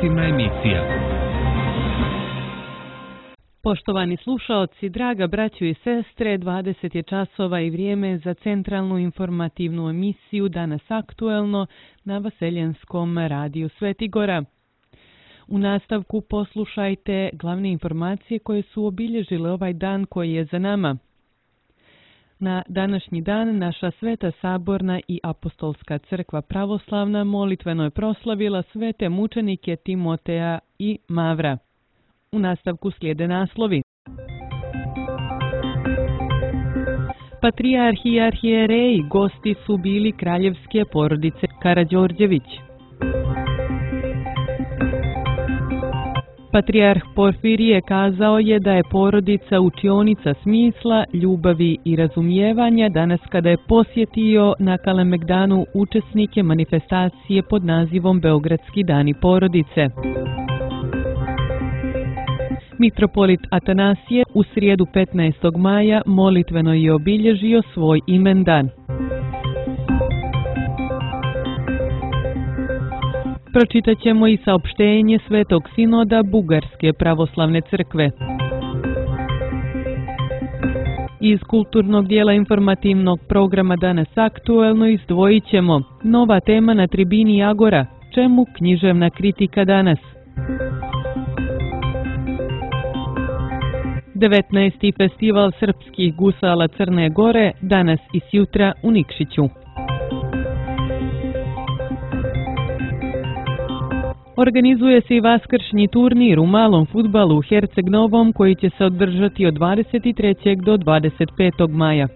informativna emisija. Poštovani slušaoci, draga braćo i sestre, 20 je časova i vrijeme za centralnu informativnu emisiju Danas aktuelno na Vaseljenskom radiju Svetigora. U nastavku poslušajte glavne informacije koje su obilježile ovaj dan koji je za nama. Na današnji dan naša Sveta Saborna i Apostolska crkva pravoslavna molitveno je proslavila svete mučenike Timoteja i Mavra. U nastavku slijede naslovi. Patrijarh i arhijereji gosti su bili kraljevske porodice Karađorđević. Patrijarh Porfirije kazao je da je porodica učionica smisla, ljubavi i razumijevanja danas kada je posjetio na Kalemegdanu učesnike manifestacije pod nazivom Beogradski dani porodice. Mitropolit Atanasije u srijedu 15. maja molitveno je obilježio svoj imendan. Pročitat ćemo i saopštenje Svetog sinoda Bugarske pravoslavne crkve. Iz kulturnog dijela informativnog programa Danas aktuelno izdvojit ćemo nova tema na tribini Agora, čemu književna kritika danas. 19. festival srpskih gusala Crne Gore danas i sjutra u Nikšiću. Organizuje se i vaskršnji turnir u malom fudbalu u Herceg Novom koji će se održati od 23. do 25. maja.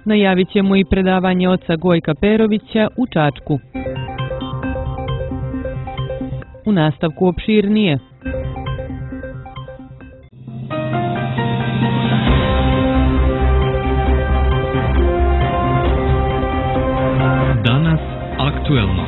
Najavit ćemo i predavanje oca Gojka Perovića u Čačku. U nastavku opširnije. Danas aktuelno.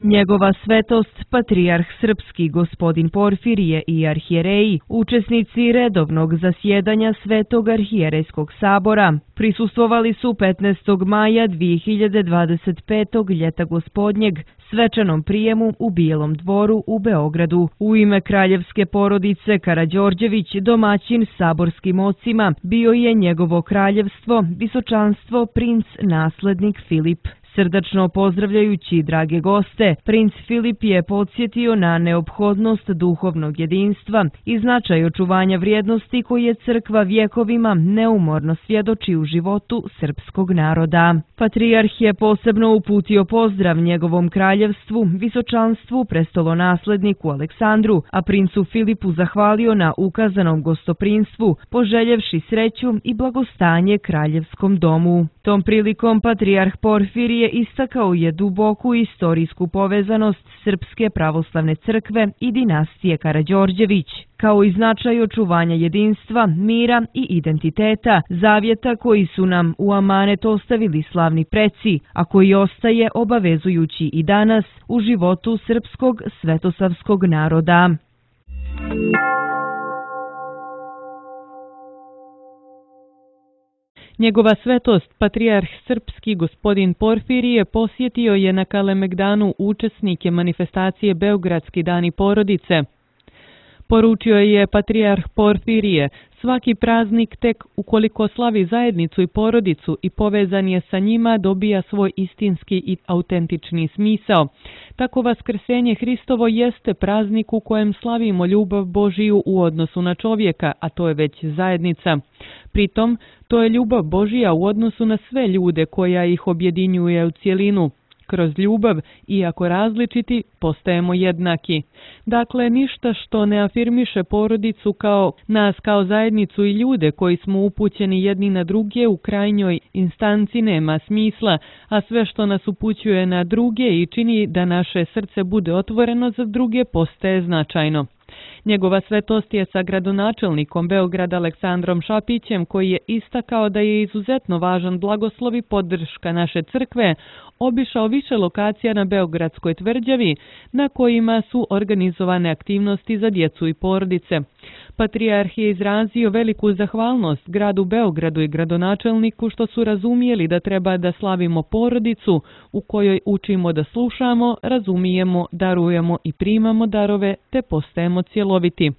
Njegova svetost, patrijarh srpski gospodin Porfirije i arhijereji, učesnici redovnog zasjedanja Svetog arhijerejskog sabora, prisustvovali su 15. maja 2025. ljeta gospodnjeg svečanom prijemu u Bijelom dvoru u Beogradu. U ime kraljevske porodice Karađorđević domaćin saborskim ocima bio je njegovo kraljevstvo, visočanstvo princ naslednik Filip. Srdačno pozdravljajući drage goste, princ Filip je podsjetio na neophodnost duhovnog jedinstva i značaj očuvanja vrijednosti koje crkva vjekovima neumorno svjedoči u životu srpskog naroda. Patrijarh je posebno uputio pozdrav njegovom kraljevstvu, visočanstvu, prestolonasledniku Aleksandru, a princu Filipu zahvalio na ukazanom gostoprinstvu, poželjevši sreću i blagostanje kraljevskom domu. Tom prilikom patrijarh Porfirije istakao je duboku istorijsku povezanost Srpske pravoslavne crkve i dinastije Karađorđević, kao i značaj očuvanja jedinstva, mira i identiteta, zavjeta koji su nam u amanet ostavili slavni preci, a koji ostaje obavezujući i danas u životu srpskog svetosavskog naroda. Njegova svetost, patrijarh srpski gospodin Porfirije, posjetio je na Kalemegdanu učesnike manifestacije Beogradski dani porodice. Poručio je patrijarh Porfirije, svaki praznik tek ukoliko slavi zajednicu i porodicu i povezan je sa njima dobija svoj istinski i autentični smisao. Tako vaskrsenje Hristovo jeste praznik u kojem slavimo ljubav Božiju u odnosu na čovjeka, a to je već zajednica. Pritom, to je ljubav Božija u odnosu na sve ljude koja ih objedinjuje u cjelinu. Kroz ljubav, iako različiti, postajemo jednaki. Dakle, ništa što ne afirmiše porodicu kao nas kao zajednicu i ljude koji smo upućeni jedni na druge u krajnjoj instanci nema smisla, a sve što nas upućuje na druge i čini da naše srce bude otvoreno za druge postaje značajno. Njegova svetost je sa gradonačelnikom Beograda Aleksandrom Šapićem, koji je istakao da je izuzetno važan blagoslov i podrška naše crkve, obišao više lokacija na Beogradskoj tvrđavi na kojima su organizovane aktivnosti za djecu i porodice. Patrijarh je izrazio veliku zahvalnost gradu Beogradu i gradonačelniku što su razumijeli da treba da slavimo porodicu u kojoj učimo da slušamo, razumijemo, darujemo i primamo darove te postajemo cjeloviti.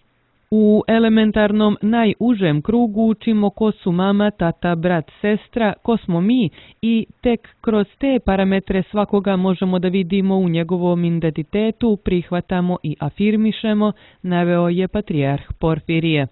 U elementarnom najužem krugu učimo ko su mama, tata, brat, sestra, ko smo mi i tek kroz te parametre svakoga možemo da vidimo u njegovom identitetu, prihvatamo i afirmišemo, naveo je patrijarh Porfirije.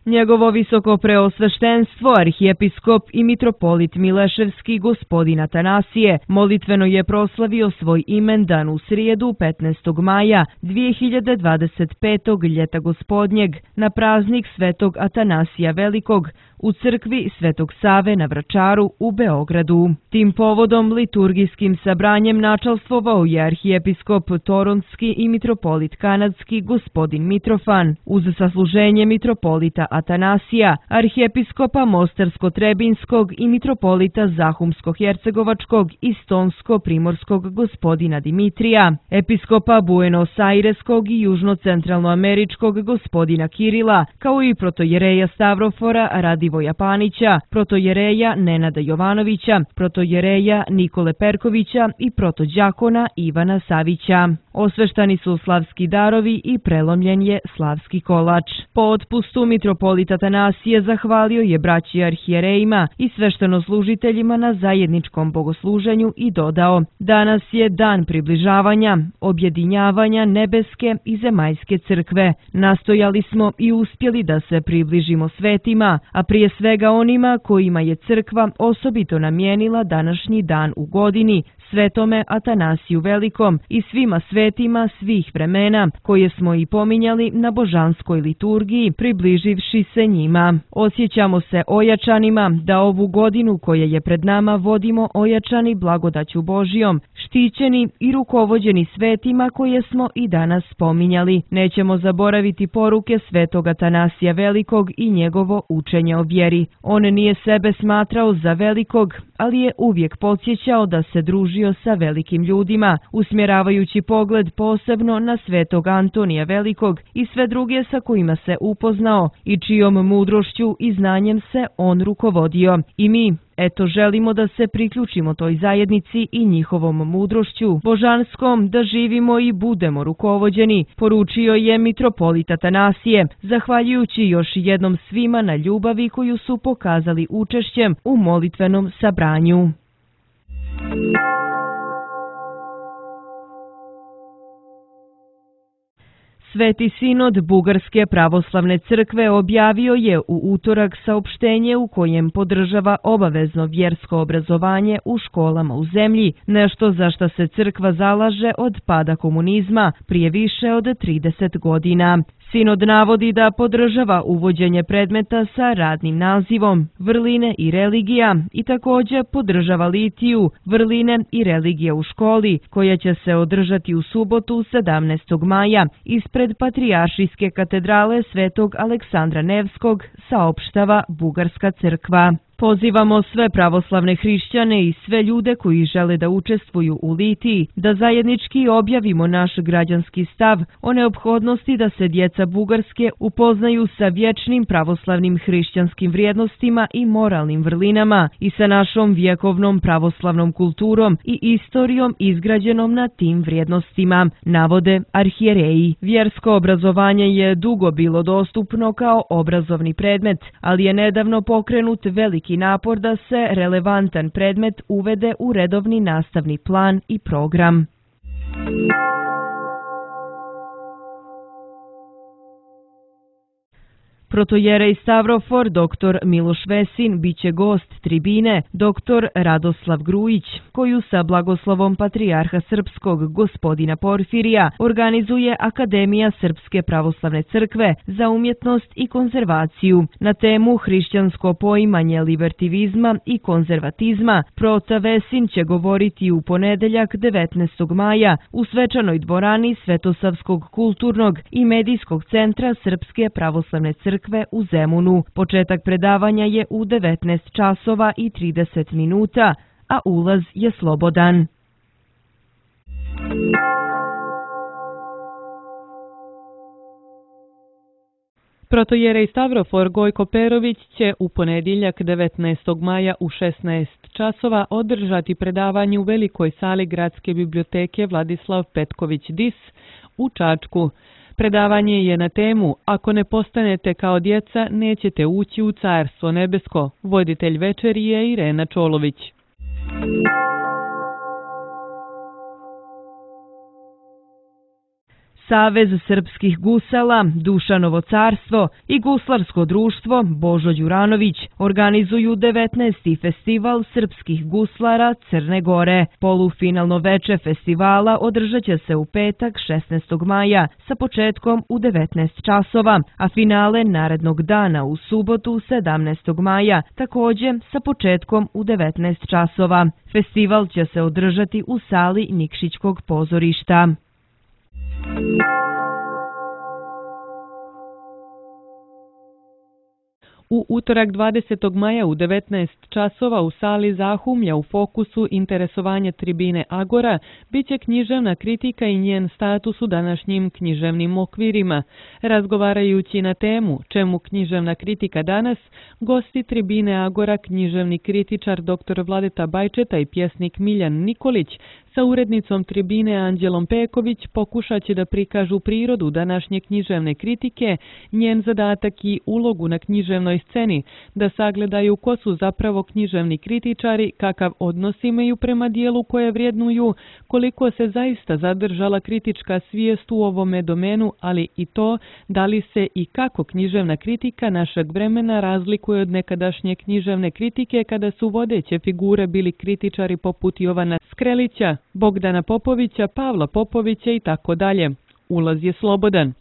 Njegovo visoko preosveštenstvo, arhijepiskop i mitropolit Mileševski gospodin Atanasije molitveno je proslavio svoj imendan u srijedu 15. maja 2025. ljeta gospodnjeg na praznik Svetog Atanasija Velikog u crkvi Svetog Save na Vračaru u Beogradu. Tim povodom liturgijskim sabranjem načalstvovao je arhijepiskop Toronski i mitropolit Kanadski gospodin Mitrofan uz sasluženje mitropolita Atanasija, arhijepiskopa Mostarsko-Trebinskog i mitropolita Zahumsko-Hercegovačkog i Stonsko-Primorskog gospodina Dimitrija, episkopa Buenos Aireskog i Južno-Centralnoameričkog gospodina Kirila, kao i protojereja Stavrofora Radivoja Panića, protojereja Nenada Jovanovića, protojereja Nikole Perkovića i protođakona Ivana Savića. Osveštani su slavski darovi i prelomljen je slavski kolač. Po otpustu mitropolit Atanasije zahvalio je braći arhijerejima i sveštenoslужiteljima na zajedničkom bogosluženju i dodao: danas je dan približavanja, objedinjavanja nebeske i zemaljske crkve. Nastojali smo i uspjeli da se približimo svetima, a prije svega onima kojima je crkva osobito namijenila današnji dan u godini, Svetome Atanasiju Velikom i svima svetima svih vremena, koje smo i pominjali na božanskoj liturgiji, približivši se njima. Osjećamo se ojačanima da ovu godinu koja je pred nama vodimo ojačani blagodaću Božijom, štićeni i rukovođeni svetima koje smo i danas spominjali. Nećemo zaboraviti poruke Svetog Atanasija Velikog i njegovo učenje o vjeri. On nije sebe smatrao za velikog, ali je uvijek podsjećao da se družio sa velikim ljudima, usmjeravajući pogled posebno na Svetog Antonija Velikog i sve druge sa kojima se upoznao i čijom mudrošću i znanjem se on rukovodio. I mi, eto, želimo da se priključimo toj zajednici i njihovom mudrošću božanskom, da živimo i budemo rukovođeni, poručio je mitropolit Atanasije, zahvaljujući još jednom svima na ljubavi koju su pokazali učešćem u molitvenom sabranju. Sveti sinod Bugarske pravoslavne crkve objavio je u utorak saopštenje u kojem podržava obavezno vjersko obrazovanje u školama u zemlji, nešto za što se crkva zalaže od pada komunizma prije više od 30 godina. Sinod navodi da podržava uvođenje predmeta sa radnim nazivom Vrline i religija i također podržava litiju Vrline i religija u školi, koja će se održati u subotu 17. maja ispred Patrijaršijske katedrale Svetog Aleksandra Nevskog, saopštava Bugarska crkva. Pozivamo sve pravoslavne hrišćane i sve ljude koji žele da učestvuju u litiji, da zajednički objavimo naš građanski stav o neophodnosti da se djeca Bugarske upoznaju sa vječnim pravoslavnim hrišćanskim vrijednostima i moralnim vrlinama i sa našom vjekovnom pravoslavnom kulturom i istorijom izgrađenom na tim vrijednostima, navode arhijereji. Vjersko obrazovanje je dugo bilo dostupno kao obrazovni predmet, ali je nedavno pokrenut veliki napor da se relevantan predmet uvede u redovni nastavni plan i program. Protojerej Stavrofor dr. Miloš Vesin biće gost tribine dr. Radoslav Grujić, koju sa blagoslovom Patrijarha Srpskog gospodina Porfirija organizuje Akademija Srpske pravoslavne crkve za umjetnost i konzervaciju na temu hrišćansko poimanje libertivizma i konzervatizma. Prota Vesin će govoriti u ponedeljak 19. maja u svečanoj dvorani Svetosavskog kulturnog i medijskog centra Srpske pravoslavne crkve u Zemunu. Početak predavanja je u 19 časova i 30 minuta, a ulaz je slobodan. Protojerej Stavrofor Gojko Perović će u ponedjeljak 19. maja u 16 časova održati predavanje u velikoj sali Gradske biblioteke Vladislav Petković Dis u Čačku. Predavanje je na temu Ako ne postanete kao djeca, nećete ući u Carstvo nebesko. Voditelj večeri je Irena Čolović. Savez srpskih gusala, Dušanovo carstvo i guslarsko društvo Božo Đuranović organizuju 19. festival srpskih guslara Crne Gore. Polufinalno veče festivala održat će se u petak 16. maja sa početkom u 19 časova, a finale narednog dana u subotu 17. maja također sa početkom u 19 časova. Festival će se održati u sali Nikšićkog pozorišta. U utorak 20. maja u 19 časova u sali Zahumlja u fokusu interesovanja tribine Agora biće književna kritika i njen status u današnjim književnim okvirima. Razgovarajući na temu Čemu književna kritika danas, gosti tribine Agora, književni kritičar dr. Vladeta Bajčeta i pjesnik Miljan Nikolić sa urednicom tribine Anđelom Peković pokušat će da prikažu prirodu današnje književne kritike, njen zadatak i ulogu na književnoj sceni, da sagledaju ko su zapravo književni kritičari, kakav odnos imaju prema dijelu koje vrijednuju, koliko se zaista zadržala kritička svijest u ovome domenu, ali i to da li se i kako književna kritika našeg vremena razlikuje od nekadašnje književne kritike kada su vodeće figure bili kritičari poput Jovana Skrelića, Bogdana Popovića, Pavla Popovića i tako dalje. Ulaz je slobodan.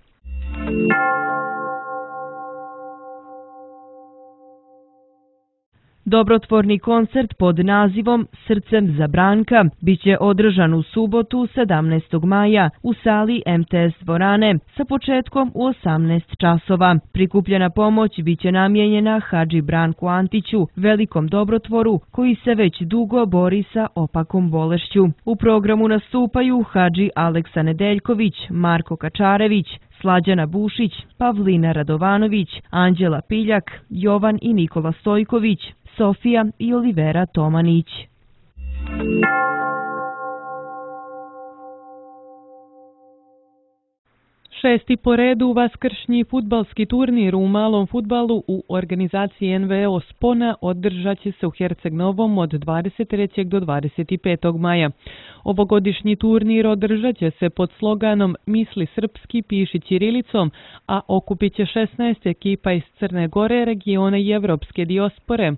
Dobrotvorni koncert pod nazivom Srcem za Branka biće održan u subotu 17. maja u sali MTS dvorane sa početkom u 18 časova. Prikupljena pomoć biće namijenjena Hadži Branku Antiću, velikom dobrotvoru koji se već dugo bori sa opakom bolešću. U programu nastupaju Hadži Aleksa Nedeljković, Marko Kačarević, Slađana Bušić, Pavlina Radovanović, Anđela Piljak, Jovan i Nikola Stojković, Sofija i Olivera Tomanić. Šesti po redu vaskršnji fudbalski turnir u malom fudbalu u organizaciji NVO Spona održat će se u Herceg Novom od 23. do 25. maja. Ovogodišnji turnir održat će se pod sloganom Misli srpski, piši ćirilicom, a okupit će 16 ekipa iz Crne Gore, regiona i evropske dijaspore.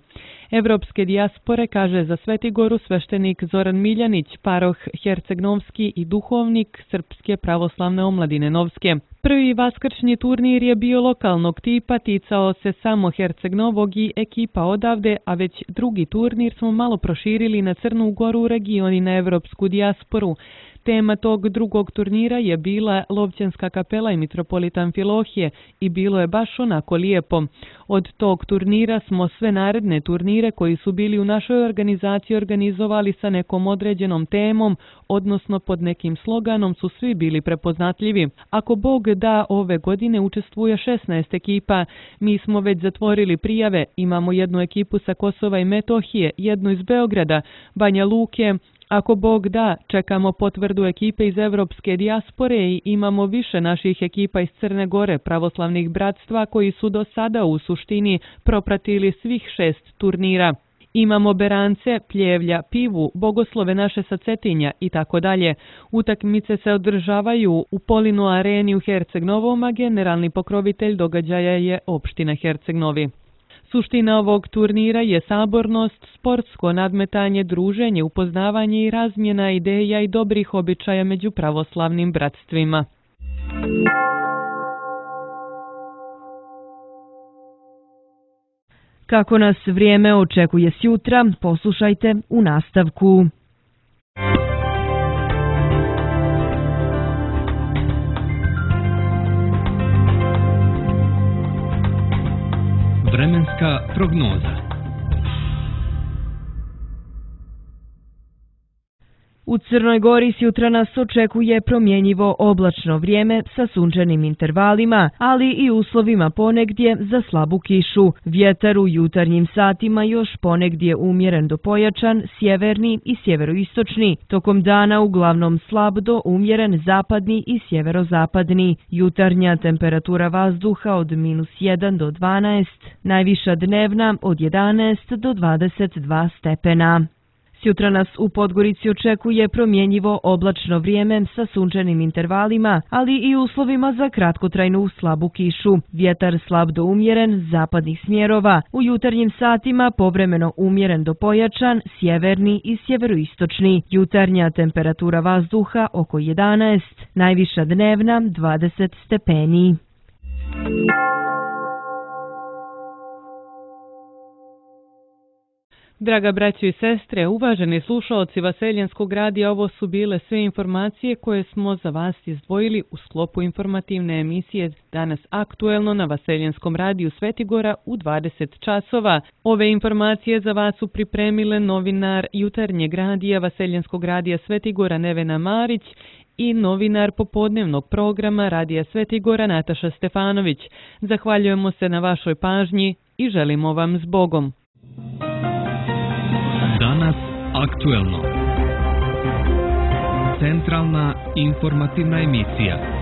Evropske dijaspore, kaže za Svetigoru sveštenik Zoran Miljanić, paroh Herceg-Novski i duhovnik Srpske pravoslavne omladine Novske. Prvi vaskršnji turnir je bio lokalnog tipa, ticao se samo Herceg Novog i ekipa odavde, a već drugi turnir smo malo proširili na Crnu Goru, region i na evropsku dijasporu. Tema tog drugog turnira je bila Lovćenska kapela i mitropolitan Filohije i bilo je baš onako lijepo. Od tog turnira smo sve naredne turnire koji su bili u našoj organizaciji organizovali sa nekom određenom temom, odnosno pod nekim sloganom su svi bili prepoznatljivi. Ako Bog da, ove godine učestvuje 16 ekipa. Mi smo već zatvorili prijave, imamo jednu ekipu sa Kosova i Metohije, jednu iz Beograda, Banja Luke. Ako Bog da, čekamo potvrdu ekipe iz evropske dijaspore i imamo više naših ekipa iz Crne Gore, pravoslavnih bratstva koji su do sada u suštini propratili svih 6 turnira. Imamo berance, pljevlja, pivu, bogoslove naše sa Cetinja i tako dalje. Utakmice se održavaju u Polinu areni u Herceg Novom, a generalni pokrovitelj događaja je opština Herceg Novi. Suština ovog turnira je sabornost, sportsko nadmetanje, druženje, upoznavanje i razmjena ideja i dobrih običaja među pravoslavnim bratstvima. Kako nas vrijeme očekuje sjutra, poslušajte u nastavku. Vremenska prognoza. U Crnoj Gori sjutra nas očekuje promjenjivo oblačno vrijeme sa sunčanim intervalima, ali i uslovima ponegdje za slabu kišu. Vjetar u jutarnjim satima još ponegdje umjeren do pojačan, sjeverni i sjeveroistočni. Tokom dana uglavnom slab do umjeren zapadni i sjeverozapadni. Jutarnja temperatura vazduha od -1 do 12, najviša dnevna od 11 do 22 stepena. Sjutra nas u Podgorici očekuje promjenjivo oblačno vrijeme sa sunčanim intervalima, ali i uslovima za kratkotrajnu slabu kišu. Vjetar slab do umjeren, zapadnih smjerova. U jutarnjim satima povremeno umjeren do pojačan, sjeverni i sjeveroistočni. Jutarnja temperatura vazduha oko 11, najviša dnevna 20 stepeni. Draga braćo i sestre, uvaženi slušaoci Vaseljenskog radija, ovo su bile sve informacije koje smo za vas izdvojili u sklopu informativne emisije Danas aktuelno na Vaseljenskom radiju Svetigora u 20 časova. Ove informacije za vas su pripremile novinar Jutarnjeg radija Vaseljenskog radija Svetigora Nevena Marić i novinar popodnevnog programa Radija Svetigora Nataša Stefanović. Zahvaljujemo se na vašoj pažnji i želimo vam s Bogom. Danas aktuelno. Centralna informativna emisija.